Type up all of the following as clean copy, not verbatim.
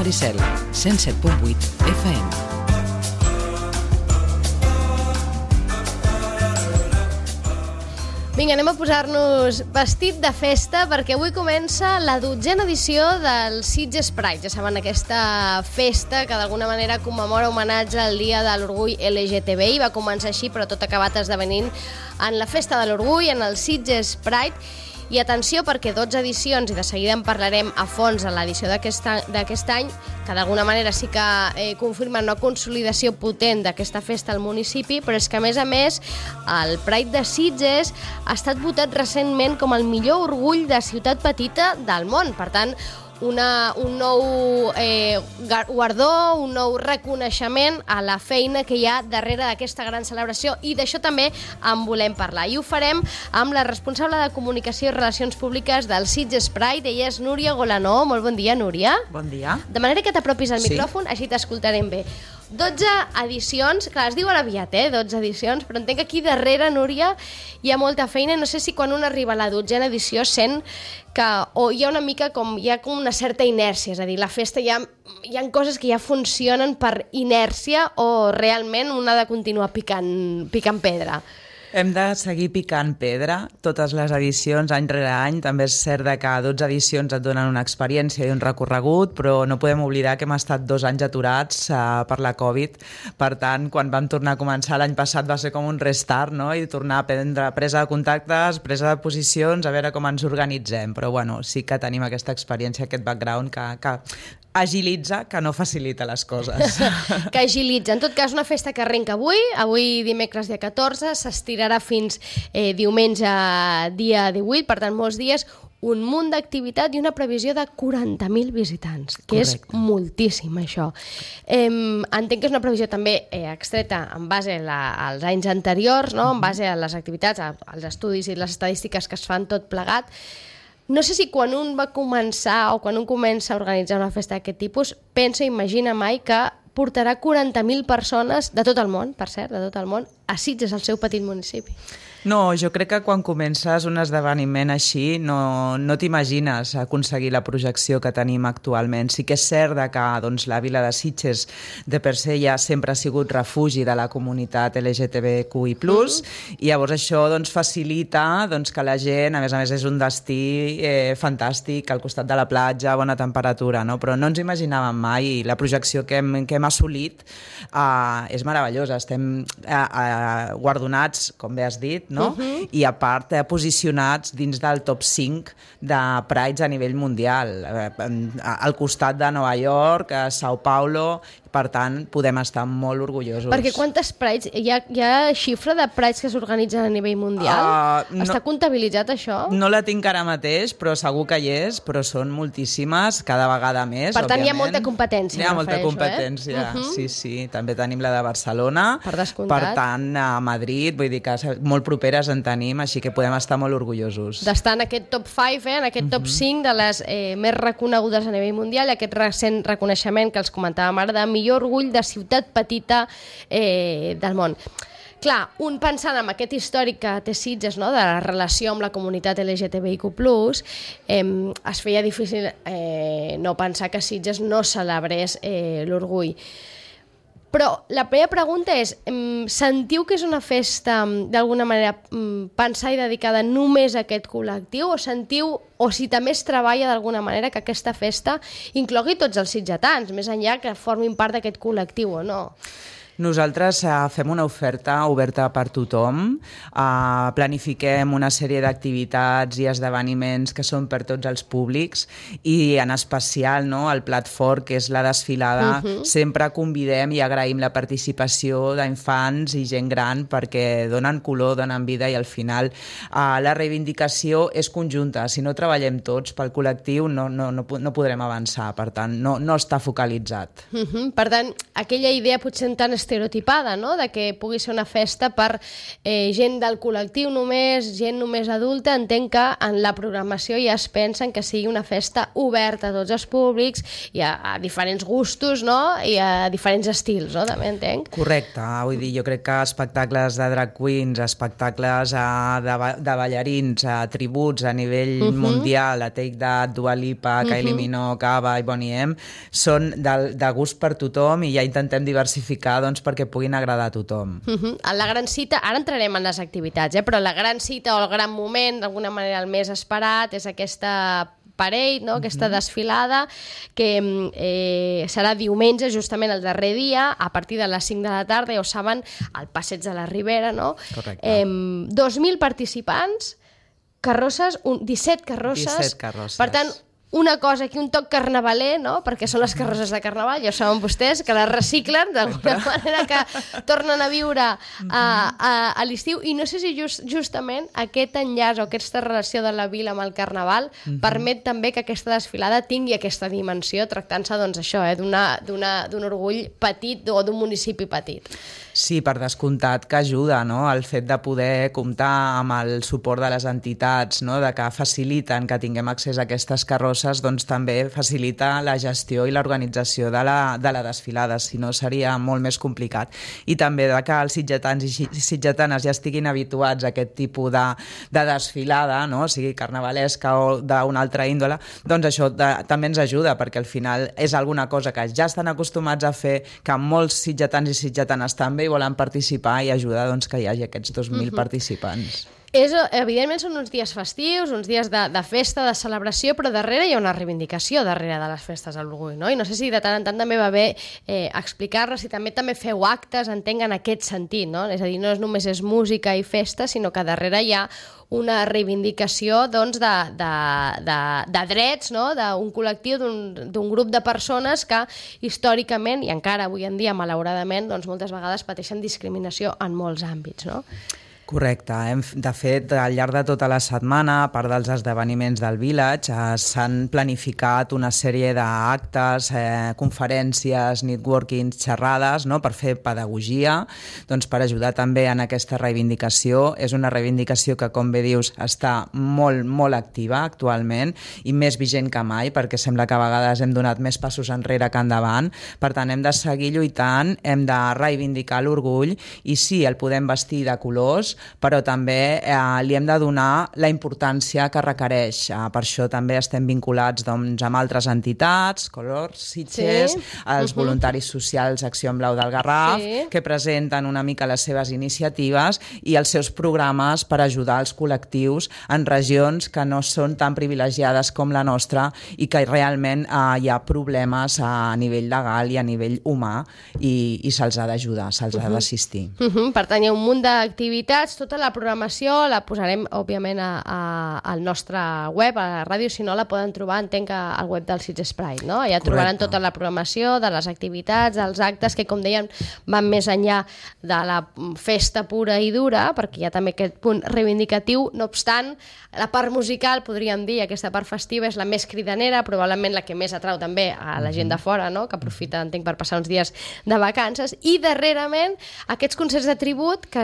Maricel, 107.8 FM. Vinga, anem a posar-nos vestit de festa perquè avui comença la 12a edició del Sitges Pride. Ja saben, aquesta festa que d'alguna manera commemora homenatge al Dia de l'Orgull LGTBI. Va començar així, però tot ha acabat esdevenint en la Festa de l'Orgull, en el Sitges Pride. I atenció, perquè 12 edicions, i de seguida en parlarem a fons en l'edició d'aquest any, que d'alguna manera sí que confirmen una consolidació potent d'aquesta festa al municipi, però és que, a més, el Pride de Sitges ha estat votat recentment com el millor orgull de ciutat petita del món. Per tant, un nou guardó, un nou reconeixement a la feina que hi ha darrere d'aquesta gran celebració, i d'això també en volem parlar. I ho farem amb la responsable de Comunicació i Relacions Públiques del Sitges Pride. Ella és Núria Golanó. Molt bon dia, Núria. Bon dia. De manera que t'apropis al micròfon, així t'escoltarem bé. 12 edicions, clar, es diuen aviat, 12 edicions, però entenc que aquí darrere, Núria, hi ha molta feina. No sé si quan un arriba a la 12a edició sent que hi ha una certa inèrcia, és a dir, la festa hi ha coses que ja funcionen per inèrcia, o realment un ha de continuar picant pedra. Hem de seguir picant pedra totes les edicions, any rere any. També és cert que 12 edicions et donen una experiència i un recorregut, però no podem oblidar que hem estat 2 anys aturats per la Covid. Per tant, quan vam tornar a començar l'any passat va ser com un restart, no? I tornar a prendre presa de contactes, presa de posicions, a veure com ens organitzem. Però bueno, sí que tenim aquesta experiència, aquest background que agilitza, que no facilita les coses. Que agilitza. En tot cas, una festa que arrenca avui dimecres dia 14, s'estirarà fins diumenge dia 18, per tant molts dies, un munt d'activitat i una previsió de 40.000 visitants, que és moltíssim, això. Entenc que és una previsió també extreta en base als anys anteriors, no? En base a les activitats, als estudis i les estadístiques que es fan tot plegat. No sé si quan un va començar o quan un comença a organitzar una festa d'aquest tipus pensa, imagina mai que portarà 40.000 persones de tot el món, per cert, de tot el món, a Sitges, al seu petit municipi. No, jo crec que quan comences un esdeveniment així no t'imagines aconseguir la projecció que tenim actualment. Sí que és cert que la vila de Sitges de per se ja sempre ha sigut refugi de la comunitat LGTBQI+, i llavors això facilita que la gent, a més és un destí fantàstic, al costat de la platja, bona temperatura, no? Però no ens imaginàvem mai, i la projecció que hem assolit és meravellosa. Estem guardonats, com bé has dit, no? I a part posicionats dins del top 5 de Prides a nivell mundial, al costat de Nova York, São Paulo. Per tant, podem estar molt orgullosos. Perquè quantes Prides? Hi ha xifra de Prides que s'organitzen a nivell mundial? Està comptabilitzat això? No la tinc ara mateix, però segur que hi és, però són moltíssimes, cada vegada més, per tant, òbviament. Hi ha molta competència. Hi ha molta competència, sí. També tenim la de Barcelona. Per descomptat. Per tant, a Madrid, vull dir que molt properes en tenim, així que podem estar molt orgullosos. D'estar en aquest top 5, en aquest top 5 de les més reconegudes a nivell mundial, i aquest recent reconeixement que els comentàvem ara de millor orgull de ciutat petita del món. Clar, un pensant en aquest històric que té Sitges, no?, de la relació amb la comunitat LGTBIQ+, es feia difícil no pensar que Sitges no celebrés l'orgull. Però la meva pregunta és, sentiu que és una festa d'alguna manera pensada i dedicada només a aquest col·lectiu, o sentiu, o si també es treballa d'alguna manera que aquesta festa inclogui tots els sitgetans, més enllà que formin part d'aquest col·lectiu o no? Nosaltres fem una oferta oberta per tothom, planifiquem una sèrie d'activitats i esdeveniments que són per tots els públics, i en especial el plat fort, que és la desfilada. Sempre convidem i agraïm la participació d'infants i gent gran perquè donen color, donen vida, i al final la reivindicació és conjunta. Si no treballem tots pel col·lectiu no podrem avançar, per tant no està focalitzat. Per tant, aquella idea potser tan estereotipada, no? De que pugui ser una festa per gent del col·lectiu només, gent només adulta. Entenc que en la programació ja es pensen que sigui una festa oberta a tots els públics i a diferents gustos, no? I a diferents estils, no? També entenc. Correcte, vull dir, jo crec que espectacles de drag queens, espectacles de ballarins, tributs a nivell mundial, a Take That, Dua Lipa, Kylie Minogue, ABBA i Boney M, són de gust per tothom i ja intentem diversificar doncs, perquè puguin agradar a tothom. La gran cita, ara entrarem en les activitats, però la gran cita o el gran moment, d'alguna manera el més esperat, és aquesta parade, no? Aquesta desfilada que serà diumenge, justament el darrer dia, a partir de les 5 de la tarda, ja ho saben, al Passeig de la Ribera, no? Correcte. 2.000 participants, carrosses, 17 carrosses. 17 carrosses. Per tant, una cosa aquí, un toc carnavaler, no? Perquè són les carrosses de carnaval, ja ho saben vostès, que les reciclen d'alguna manera, que tornen a viure a l'estiu. I no sé si justament aquest enllaç o aquesta relació de la vila amb el carnaval permet també que aquesta desfilada tingui aquesta dimensió, tractant-se, doncs, això, d'un orgull petit o d'un municipi petit. Sí, per descomptat que ajuda, no? El fet de poder comptar amb el suport de les entitats, no? De que faciliten que tinguem accés a aquestes carrosses, doncs també facilita la gestió i l'organització de la desfilada, si no seria molt més complicat. I també de que els sitgetans i sitgetanes ja estiguin habituats a aquest tipus de desfilada, no? Sigui carnavalesca o d'una altra índole, doncs això també ens ajuda, perquè al final és alguna cosa que ja estan acostumats a fer, que molts sitgetans i sitgetanes també volen participar i ajudar doncs, que hi hagi aquests 2.000 participants. Evidentment són uns dies festius, uns dies de festa, de celebració, però darrere hi ha una reivindicació darrere de les festes de l'orgull, no? I no sé si de tant en tant també va bé explicar-les, si també feu actes, entenc, en aquest sentit, no? És a dir, no només és música i festa, sinó que darrere hi ha una reivindicació, doncs, de drets, no? D'un col·lectiu, d'un grup de persones que històricament, i encara avui en dia, malauradament, doncs, moltes vegades pateixen discriminació en molts àmbits, no? Correcte. De fet, al llarg de tota la setmana, a part dels esdeveniments del Village, s'han planificat una sèrie d'actes, conferències, networkings, xerrades, no? Per fer pedagogia, doncs per ajudar també en aquesta reivindicació. És una reivindicació que, com bé dius, està molt, molt activa actualment i més vigent que mai, perquè sembla que a vegades hem donat més passos enrere que endavant. Per tant, hem de seguir lluitant, hem de reivindicar l'orgull i sí, el podem vestir de colors, però també li hem de donar la importància que requereix. Per això també estem vinculats, doncs, amb altres entitats, Colors, Sitges, els voluntaris socials Acció en Blau del Garraf, que presenten una mica les seves iniciatives i els seus programes per ajudar els col·lectius en regions que no són tan privilegiades com la nostra i que realment hi ha problemes a nivell legal i a nivell humà i se'ls ha d'ajudar, se'ls ha d'assistir. Per tant, hi ha un munt d'activitats. Tota la programació la posarem, òbviament, al nostre web, a la ràdio. Si no, la poden trobar, entenc, al web del Sitges Pride, no? Ja trobaran tota la programació de les activitats, dels actes, que, com dèiem, van més enllà de la festa pura i dura, perquè hi ha també aquest punt reivindicatiu. No obstant, la part musical, podríem dir, aquesta part festiva, és la més cridanera, probablement la que més atrau també a la gent de fora, no? Que aprofita, entenc, per passar uns dies de vacances. I, darrerament, aquests concerts de tribut que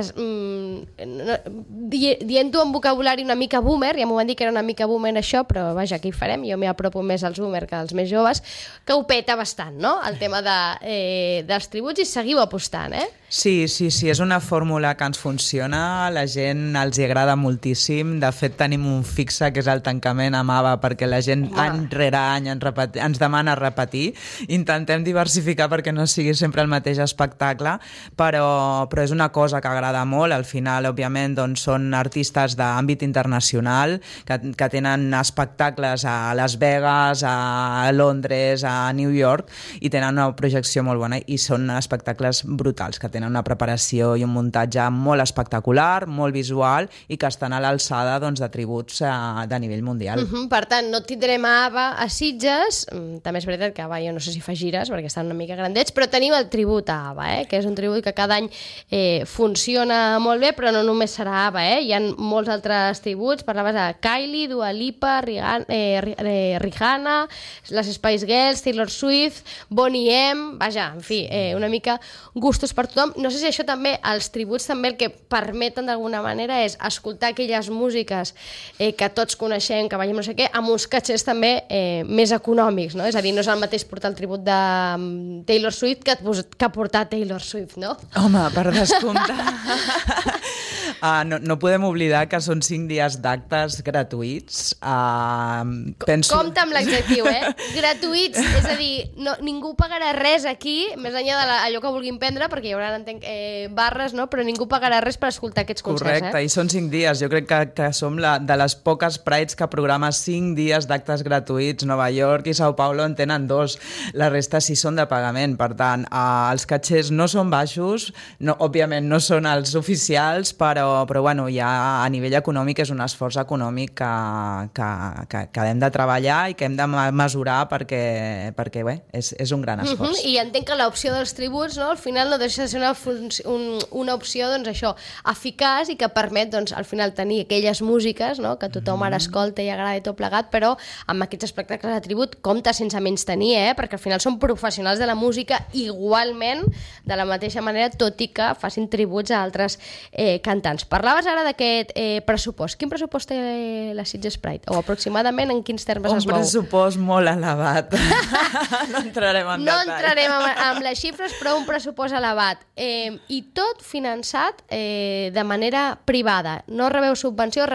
dient-ho amb vocabulari una mica boomer, ja m'ho van dir que era una mica boomer això, però vaja, què hi farem? Jo m'hi apropo més als boomer que als més joves, que ho peta bastant, no? El tema dels tributs, i seguiu apostant, eh? Sí, és una fórmula que ens funciona, la gent els hi agrada moltíssim, de fet tenim un fixe que és el tancament amb ABBA, perquè la gent any rere any ens demana repetir, intentem diversificar perquè no sigui sempre el mateix espectacle, però és una cosa que agrada molt. Al final, òbviament, doncs, són artistes d'àmbit internacional que tenen espectacles a Las Vegas, a Londres, a New York, i tenen una projecció molt bona i són espectacles brutals, que tenen tenen una preparació i un muntatge molt espectacular, molt visual i que estan a l'alçada de tributs de nivell mundial. Per tant, no tindrem a ABBA a Sitges, també és veritat que ABBA jo no sé si fa gires perquè estan una mica grandets, però tenim el tribut a ABBA, que és un tribut que cada any funciona molt bé, però no només serà ABBA, hi ha molts altres tributs, parlaves de Kylie, Dua Lipa, Rihanna, les Spice Girls, Taylor Swift, Boney M, vaja, en fi, una mica gustos per tothom. No sé si això també, els tributs també el que permeten d'alguna manera és escoltar aquelles músiques que tots coneixem, que veiem no sé què, amb uns catxers també més econòmics, no? És a dir, no és el mateix portar el tribut de Taylor Swift que portar Taylor Swift, no? Home, per descomptar. No podem oblidar que són 5 dies d'actes gratuïts. Compte amb l'adjectiu, gratuïts, és a dir, ningú pagarà res aquí, més enllà d'allò que vulguin prendre, perquè hi haurà, entenc, barres, no? Però ningú pagarà res per escoltar aquests concerts. Correcte, i són 5 dies. Jo crec que som de les poques Prides que programa 5 dies d'actes gratuïts. Nova York i Sao Paulo en tenen 2. La resta sí són de pagament. Per tant, els catxers no són baixos, òbviament no són els oficials, però bueno, ja a nivell econòmic és un esforç econòmic que hem de treballar i que hem de mesurar perquè bé, és un gran esforç. I entenc que l'opció dels tributs, no, al final no deixa de ser una opció, doncs això, eficaç i que permet, doncs, al final tenir aquelles músiques, no, que tothom ara escolta i agrada i tot plegat, però amb aquests espectacles de tribut compta sense menys tenir, perquè al final són professionals de la música igualment, de la mateixa manera, tot i que facin tributs a altres cantants. Parlaves ara d'aquest pressupost. Quin pressupost té la Sitges Pride? O aproximadament en quins termes es mou? Un pressupost molt elevat. No entrarem en detall. No entrarem en les xifres, però un pressupost elevat. I tot finançat de manera privada. No rebeu subvenció,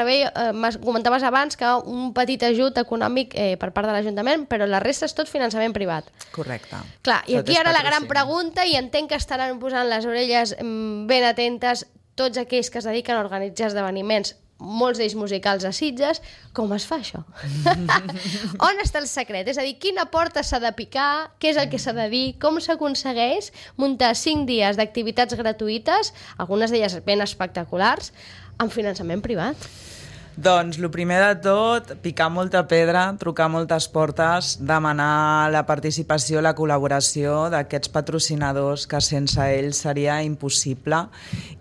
comentaves abans que un petit ajut econòmic per part de l'Ajuntament, però la resta és tot finançament privat. Correcte. Clar, i aquí ara la gran pregunta, i entenc que estaran posant les orelles ben atentes tots aquells que es dediquen a organitzar esdeveniments, molts d'ells musicals a Sitges, com es fa això? On està el secret? És a dir, quina porta s'ha de picar, què és el que s'ha de dir, com s'aconsegueix muntar 5 dies d'activitats gratuïtes, algunes d'elles ben espectaculars, amb finançament privat? Doncs, el primer de tot, picar molta pedra, trucar moltes portes, demanar la participació, la col·laboració d'aquests patrocinadors que sense ells seria impossible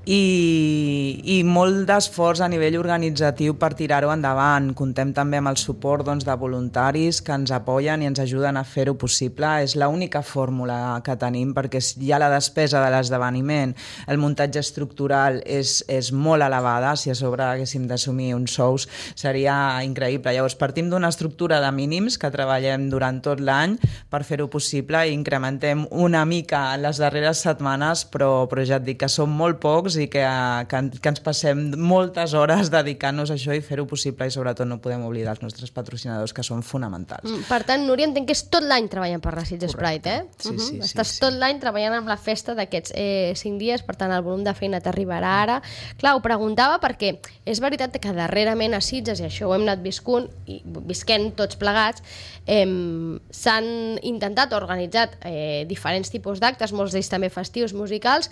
i molt d'esforç a nivell organitzatiu per tirar-ho endavant. Contem també amb el suport de voluntaris que ens apoyen i ens ajuden a fer-ho possible. És l'única fórmula que tenim perquè hi ha la despesa de l'esdeveniment, el muntatge estructural és molt elevada, si a sobre haguéssim d'assumir un sou seria increïble. Llavors partim d'una estructura de mínims que treballem durant tot l'any per fer-ho possible i incrementem una mica en les darreres setmanes, però ja et dic que som molt pocs i que ens passem moltes hores dedicant-nos a això i fer-ho possible, i sobretot no podem oblidar els nostres patrocinadors, que són fonamentals. Per tant, Núria, entenc que és tot l'any treballant per la Sitges Pride, Sí. Estàs tot l'any treballant amb la festa d'aquests 5 dies, per tant el volum de feina t'arribarà ara. Clar, ho preguntava perquè és veritat que darrerament a Sitges, i això ho hem anat visquent tots plegats, s'han intentat organitzat diferents tipus d'actes, molts d'ells també festius, musicals,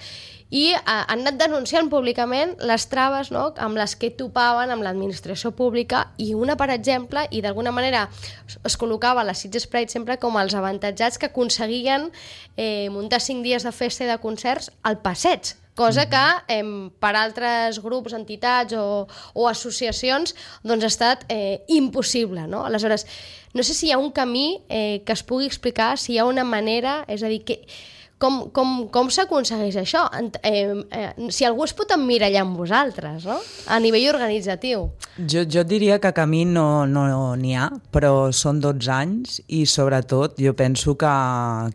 i han anat denunciant públicament les traves, no?, amb les que topaven amb l'administració pública, i una, per exemple, i d'alguna manera es col·locava la Sitges Pride sempre com els avantatjats que aconseguien muntar 5 dies de festa i de concerts al passeig, cosa que per altres grups, entitats o associacions doncs ha estat impossible, no? Aleshores, no sé si hi ha un camí que es pugui explicar, si hi ha una manera, és a dir, com s'aconsegueix això? Si algú es pot emmirallar amb vosaltres, no?, a nivell organitzatiu. Jo diria que camí no n'hi ha, però són 12 anys i sobretot jo penso que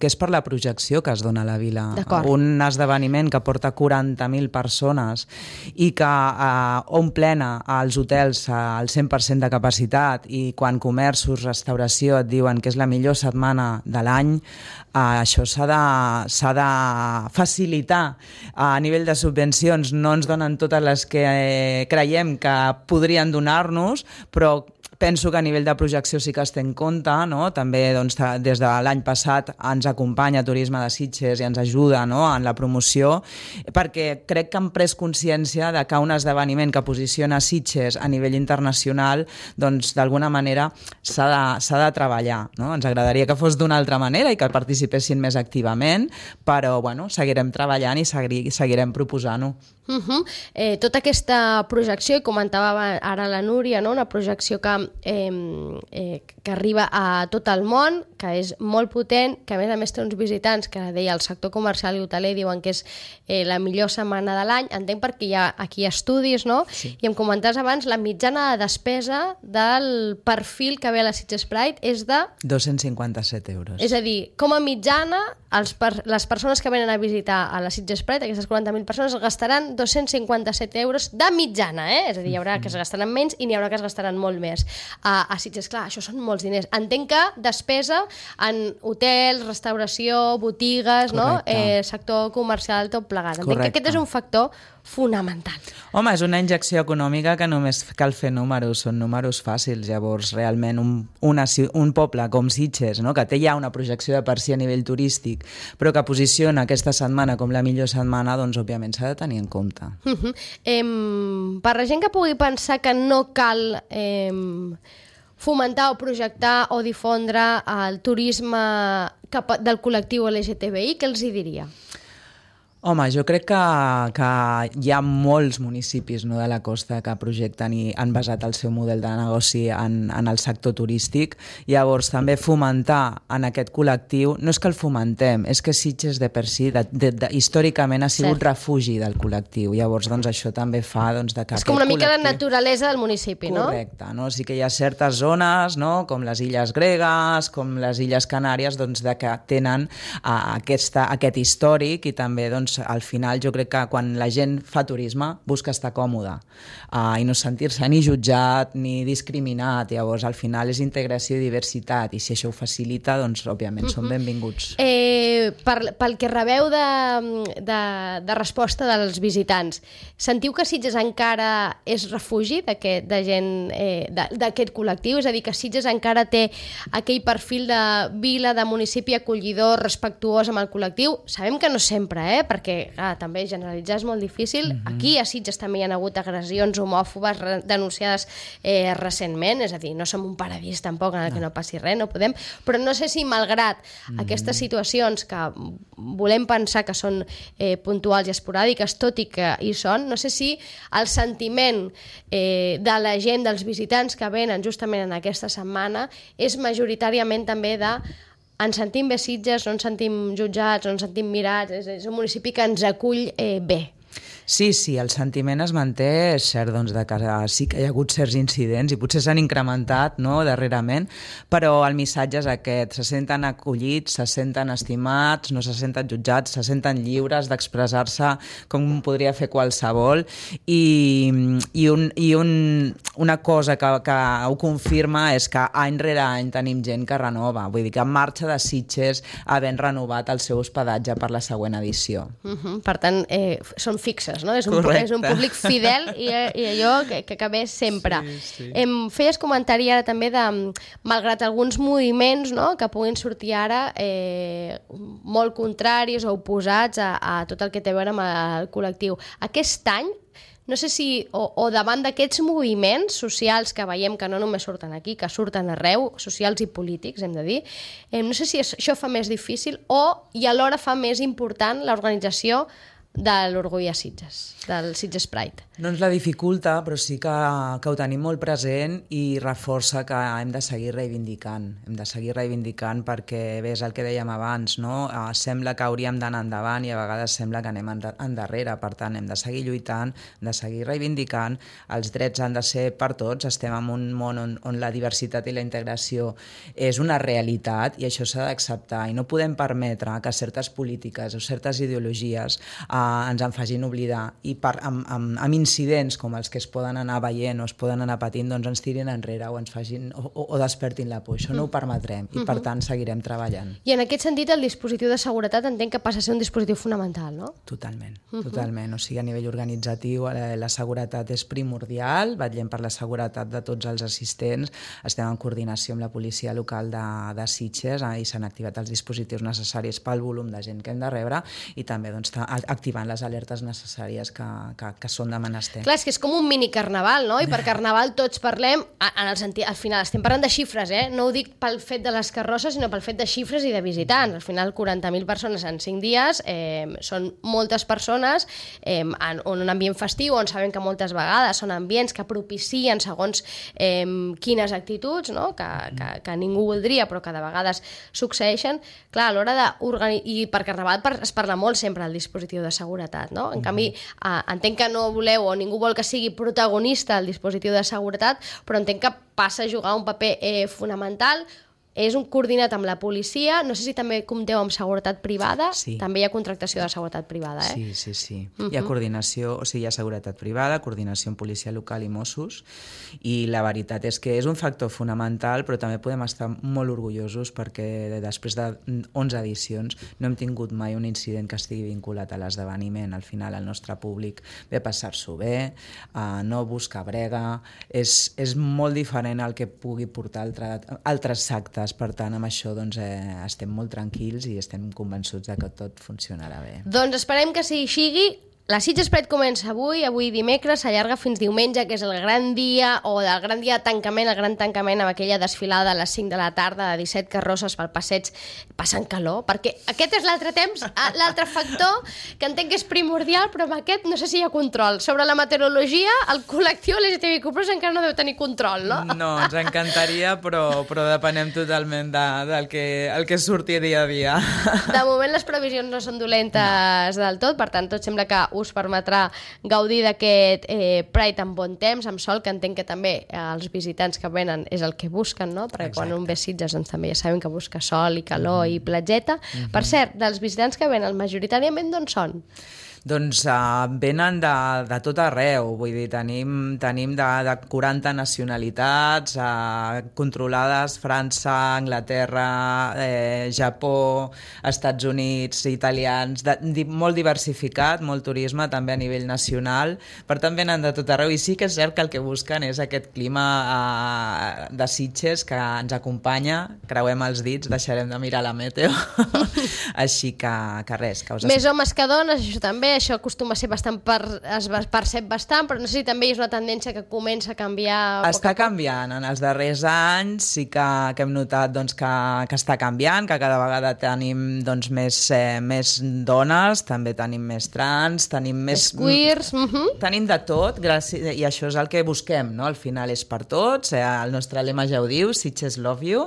és per la projecció que es dona a la vila. Un esdeveniment que porta 40.000 persones i que omplena els hotels al 100% de capacitat, i quan comerços, restauració et diuen que és la millor setmana de l'any, això s'ha de facilitar. A nivell de subvencions no ens donen totes les que creiem que podrien donar-nos, però penso que a nivell de projecció sí que es té en compte, no? També doncs, des de l'any passat ens acompanya Turisme de Sitges i ens ajuda, no? En la promoció, perquè crec que han pres consciència de que un esdeveniment que posiciona Sitges a nivell internacional, doncs d'alguna manera s'ha de treballar, no? Ens agradaria que fos d'una altra manera i que participessin més activament, però bueno, seguirem treballant i seguirem proposant-ho. Tota aquesta projecció, i comentava ara la Núria, no? Una projecció que arriba a tot el món, que és molt potent, que a més té uns visitants que deia el sector comercial i hoteler diuen que és la millor setmana de l'any. Entenc perquè hi ha aquí estudis, no? Sí. I em comentaves abans, la mitjana de despesa del perfil que ve a la Sitges Pride és de 257 euros. És a dir, com a mitjana, les persones que venen a visitar a la Sitges Pride, aquestes 40.000 persones, gastaran 257 euros de mitjana, És a dir, hi haurà que es gastaran menys i n'hi haurà que es gastaran molt més. A Sitges, clar, això són molts diners. Entenc que despesa en hotels, restauració, botigues, no? Sector comercial, tot plegat. Entenc que aquest és un factor fonamental. Home, és una injecció econòmica que només cal fer números, són números fàcils. Llavors, realment, un poble com Sitges, no? Que té ja una projecció de per si a nivell turístic, però que posiciona aquesta setmana com la millor setmana, doncs, òbviament, s'ha de tenir en compte. Per la gent que pugui pensar que no cal fomentar o projectar o difondre el turisme del col·lectiu LGTBI, què els hi diria? Home, jo crec que hi ha molts municipis, no, de la costa que projecten i han basat el seu model de negoci en el sector turístic. Llavors, també fomentar en aquest col·lectiu, no és que el fomentem, és que Sitges de per si, històricament ha sigut refugi del col·lectiu. Llavors, doncs, això també fa que és com una mica la naturalesa del municipi, no? Correcte, no? Sí que hi ha certes zones, no?, com les Illes Gregues, com les Illes Canàries, doncs, que tenen aquest històric i també, doncs, al final jo crec que quan la gent fa turisme busca estar còmode i no sentir-se ni jutjat ni discriminat. Llavors al final és integració i diversitat i si això ho facilita, doncs òbviament són benvinguts. Pel que rebeu de resposta dels visitants, sentiu que Sitges encara és refugi de gent d'aquest col·lectiu? És a dir, que Sitges encara té aquell perfil de vila, de municipi acollidor, respectuós amb el col·lectiu? Sabem que no sempre, perquè també generalitzar és molt difícil. Aquí a Sitges també hi ha hagut agressions homòfobes denunciades recentment, és a dir, no som un paradís tampoc en el que no passi res, no podem, però no sé si malgrat aquestes situacions que volem pensar que són puntuals i esporàdiques, tot i que hi són, no sé si el sentiment de la gent, dels visitants que venen justament en aquesta setmana és majoritàriament també de ens sentim bé Sitges, no ens sentim jutjats, no ens sentim mirats, és un municipi que ens acull bé. Sí, el sentiment es manté, és cert doncs, que sí que hi ha hagut certs incidents i potser s'han incrementat, no, darrerament, però el missatge és aquest, se senten acollits, se senten estimats, no se senten jutjats, se senten lliures d'expressar-se com podria fer qualsevol i una cosa que ho confirma és que any rere any tenim gent que renova, vull dir que marxa de Sitges havent renovat el seu hospedatge per la següent edició. Per tant, són fixes, no? És un públic fidel i allò que ve sempre. Sí. Feies comentari ara també de, malgrat alguns moviments, no?, que puguin sortir ara molt contraris o oposats a tot el que té a veure amb el col·lectiu. Aquest any, no sé si, o davant d'aquests moviments socials que veiem que no només surten aquí, que surten arreu, socials i polítics, hem de dir, no sé si això fa més difícil i alhora fa més important l'organització de l'Orgull a Sitges, del Sitges Pride. No ens la dificulta, però sí que ho tenim molt present i reforça que hem de seguir reivindicant. Hem de seguir reivindicant perquè, bé, és el que dèiem abans, no? Sembla que hauríem d'anar endavant i a vegades sembla que anem endarrere. Per tant, hem de seguir lluitant, hem de seguir reivindicant. Els drets han de ser per tots. Estem en un món on la diversitat i la integració és una realitat i això s'ha d'acceptar. I no podem permetre que certes polítiques o certes ideologies ens en facin oblidar i amb incidents com els que es poden anar veient o es poden anar patint, doncs ens tirin enrere o ens facin o despertin la por. Això no ho permetrem i per tant seguirem treballant. I en aquest sentit el dispositiu de seguretat entenc que passa a ser un dispositiu fonamental, no? Totalment. O sigui, a nivell organitzatiu la seguretat és primordial, vetllem per la seguretat de tots els assistents, estem en coordinació amb la policia local de Sitges i s'han activat els dispositius necessaris pel volum de gent que hem de rebre i també doncs, activant les alertes necessàries que són de menester. Clar, és que és com un mini carnaval, no? I per carnaval tots parlem, en el sentit, al final estem parlant de xifres, no ho dic pel fet de les carrosses, sinó pel fet de xifres i de visitants. Al final 40.000 persones en 5 dies són moltes persones en un ambient festiu on sabem que moltes vegades són ambients que propicien segons quines actituds, no? que ningú voldria però que de vegades succeeixen. Clar, a l'hora d'organitzar, i per carnaval es parla molt sempre del dispositiu de seguretat, no? En canvi, entenc que no voleu o ningú vol que sigui protagonista el dispositiu de seguretat, però entenc que passa a jugar un paper fonamental. És un coordinat amb la policia, no sé si també compteu amb seguretat privada, sí. També hi ha contractació de seguretat privada, Sí. Hi ha coordinació, o sigui, hi ha seguretat privada, coordinació amb policia local i Mossos, i la veritat és que és un factor fonamental, però també podem estar molt orgullosos perquè després de 11 edicions no hem tingut mai un incident que estigui vinculat a l'esdeveniment. Al final el nostre públic ve a passar-s'ho bé, no busca brega, és molt diferent al que pugui portar altres actes. Per tant, amb això doncs, estem molt tranquils i estem convençuts de que tot funcionarà bé. Doncs esperem que sigui. La Sitges Pride comença avui dimecres, s'allarga fins diumenge, que és el gran dia, o el gran dia de tancament, el gran tancament amb aquella desfilada a les 5 de la tarda de 17 carrosses pel passeig passant calor, perquè aquest és l'altre factor que entenc que és primordial, però amb aquest no sé si hi ha control. Sobre la meteorologia, el col·lectiu LGTBIQ+ encara no deu tenir control, no? No, ens encantaria, però depenem totalment del que surti dia a dia. De moment les previsions no són dolentes del tot, per tant tot sembla que us permetrà gaudir d'aquest Pride amb bon temps, amb sol, que entenc que també els visitants que venen és el que busquen, no? Perquè quan un ve a Sitges doncs, també ja sabem que busca sol i calor i platgeta. Per cert, dels visitants que venen majoritàriament d'on són? Doncs venen de tot arreu, vull dir, tenim de 40 nacionalitats, controlades França, Anglaterra, Japó, Estats Units, italians, molt diversificat, molt turisme també a nivell nacional, per tant venen de tot arreu i sí que és cert que el que busquen és aquest clima de Sitges que ens acompanya, creuem els dits, deixarem de mirar la meteo, així que res. Més homes que dones, això també, això acostuma a ser bastant, es percep bastant, però no sé si també és una tendència que comença a canviar. Està canviant, en els darrers anys sí que hem notat doncs, que està canviant, que cada vegada tenim doncs, més dones, també tenim més trans, tenim més queers, tenim de tot, i això és el que busquem, no? Al final és per tots, el nostre lema ja ho diu, Sitges Love You,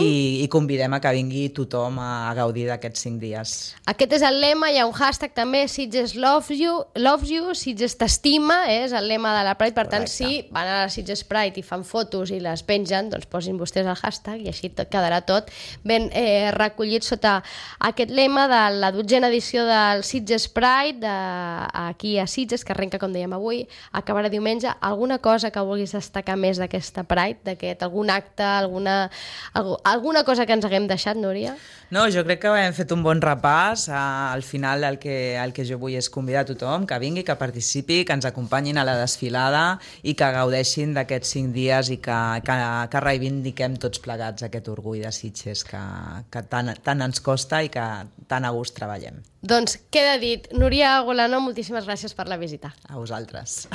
i convidem a que vingui tothom a gaudir d'aquests 5 dies. Aquest és el lema, hi ha un hashtag també, Sitges Loves You, Sitges t'estima, és el lema de la Pride, per tant, si van a la Sitges Pride i fan fotos i les pengen, doncs posin vostès el hashtag i així quedarà tot ben recollit sota aquest lema de la 12a edició del Sitges Pride aquí a Sitges, que arrenca, com dèiem avui, acabarà diumenge. Alguna cosa que vulguis destacar més d'aquesta Pride, algun acte, alguna cosa que ens haguem deixat, Núria? No, jo crec que hem fet un bon repàs. Al final el que jo vull és convidar a tothom que vingui, que participi, que ens acompanyin a la desfilada i que gaudeixin d'aquests 5 dies i que reivindiquem tots plegats aquest orgull de Sitges que tant ens costa i que tan a gust treballem. Doncs queda dit. Núria Golano, moltíssimes gràcies per la visita. A vosaltres.